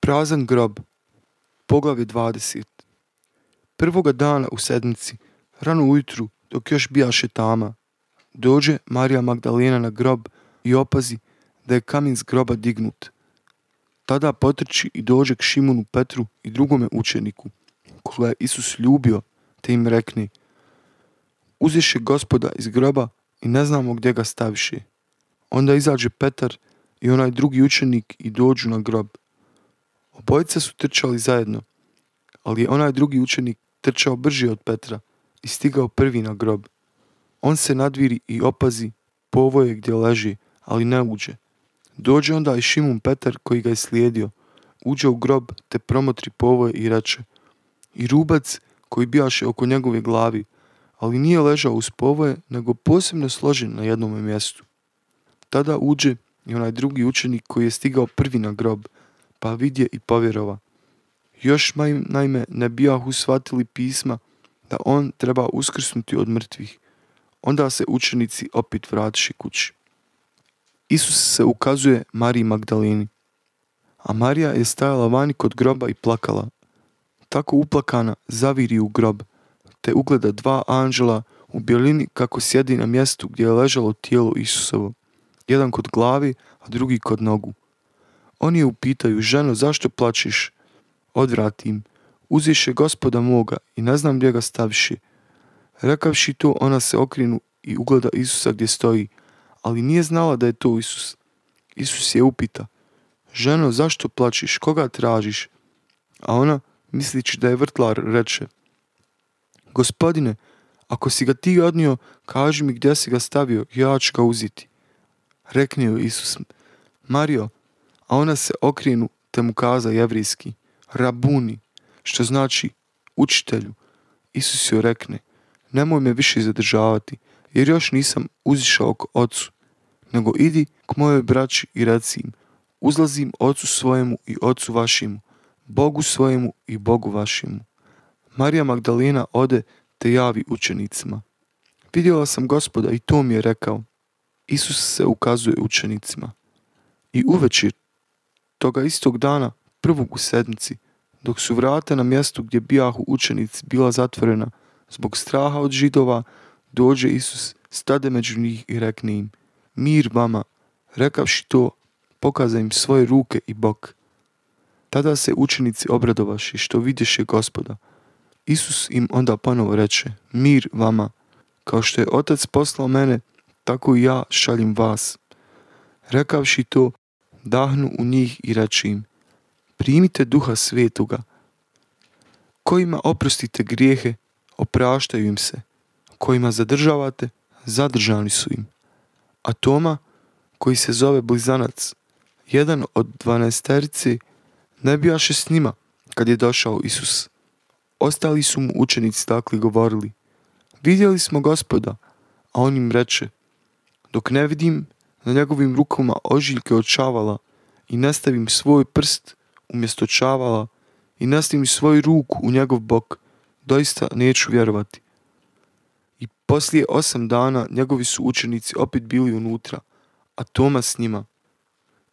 Prazan grob, poglavlje 20. Prvoga dana u sedmici, rano ujutru, dok još bijaše tama, dođe Marija Magdalena na grob i opazi da je kamen s groba dignut. Tada potrči i dođe k Šimunu Petru i drugome učeniku, koga je Isus ljubio, te im rekne: Uzješe Gospoda iz groba i ne znamo gdje ga staviše. Onda izađe Petar i onaj drugi učenik i dođu na grob. Obojica su trčali zajedno, ali je onaj drugi učenik trčao brže od Petra i stigao prvi na grob. On se nadviri i opazi povoje gdje leži, ali ne uđe. Dođe onda i Šimun Petar koji ga je slijedio, uđe u grob te promotri povoje i reče: I rubac koji bijaše oko njegove glavi, ali nije ležao uz povoje, nego posebno složen na jednome mjestu. Tada uđe i onaj drugi učenik koji je stigao prvi na grob, pa vidje i povjerova. Još naime ne bijahu shvatili pisma da on treba uskrsnuti od mrtvih. Onda se učenici opet vratiše kući. Isus se ukazuje Mariji Magdaleni, a Marija je stajala vani kod groba i plakala. Tako uplakana zaviri u grob, te ugleda dva anđela u bjelini kako sjedi na mjestu gdje je ležalo tijelo Isusovo, jedan kod glavi, a drugi kod nogu. Oni je upitaju: Ženo, zašto plačeš? Odvrati im: Uzješe Gospoda moga i ne znam gdje ga staviše. Rekavši to, ona se okrenu i ugleda Isusa gdje stoji, ali nije znala da je to Isus. Isus je upita: Ženo, zašto plačeš? Koga tražiš? A ona, mislići da je vrtlar, reče: Gospodine, ako si ga ti odnio, kaži mi gdje si ga stavio, ja ću ga uzeti. Rekne joj Isus: Marijo. A ona se okrenu te mu kaza jevrijski: Rabuni, što znači učitelju. Isus joj rekne: Nemoj me više zadržavati, jer još nisam uzišao k ocu, nego idi k mojoj braći i reci im: Uzlazim ocu svojemu i ocu vašemu, Bogu svojemu i Bogu vašemu. Marija Magdalena ode te javi učenicima: Vidjela sam Gospoda i to mi je rekao. Isus se ukazuje učenicima. I uvečer toga istog dana, prvog u sedmici, dok su vrata na mjestu gdje bijahu učenici bila zatvorena zbog straha od Židova, dođe Isus, stade među njih i rekne im: Mir vama. Rekavši to, pokaza im svoje ruke i bok. Tada se učenici obradovaše što vidješe Gospoda. Isus im onda ponovo reče: Mir vama. Kao što je Otac poslao mene, tako i ja šaljem vas. Rekavši to, dahnu u njih i reče im: Primite Duha Svetoga. Kojima oprostite grijehe, opraštaju im se. Kojima zadržavate, zadržani su im. A Toma, koji se zove Blizanac, jedan od 12, ne bijaše s njima kad je došao Isus. Ostali su mu učenici takli govorili: Vidjeli smo Gospoda. A on im reče: Dok ne vidim na njegovim rukama ožiljke od čavala i ne stavim svoj prst umjesto čavala i ne stavim svoju ruku u njegov bok, doista neću vjerovati. I poslije 8 dana njegovi su učenici opet bili unutra, a Toma s njima.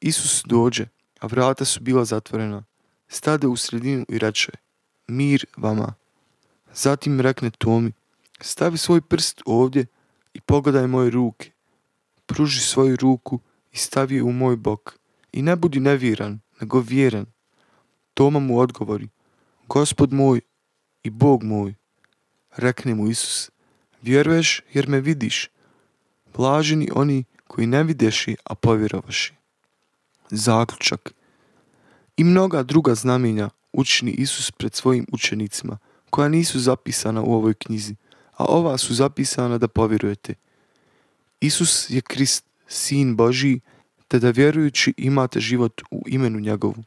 Isus dođe, a vrata su bila zatvorena. Stade u sredinu i reče: Mir vama. Zatim rekne Tomi: Stavi svoj prst ovdje i pogledaj moje ruke. Pruži svoju ruku i stavi je u moj bok. I ne budi nevjeran, nego vjeran. Toma mu odgovori: Gospod moj i Bog moj. Rekne mu Isus: Vjeruješ jer me vidiš. Blaženi oni koji ne videši, a povjerovaši. Zaključak. I mnoga druga znamenja učini Isus pred svojim učenicima, koja nisu zapisana u ovoj knjizi, a ova su zapisana da povjerujete. Isus je Krist, Sin Božji, te da vjerujući imate život u imenu njegovu.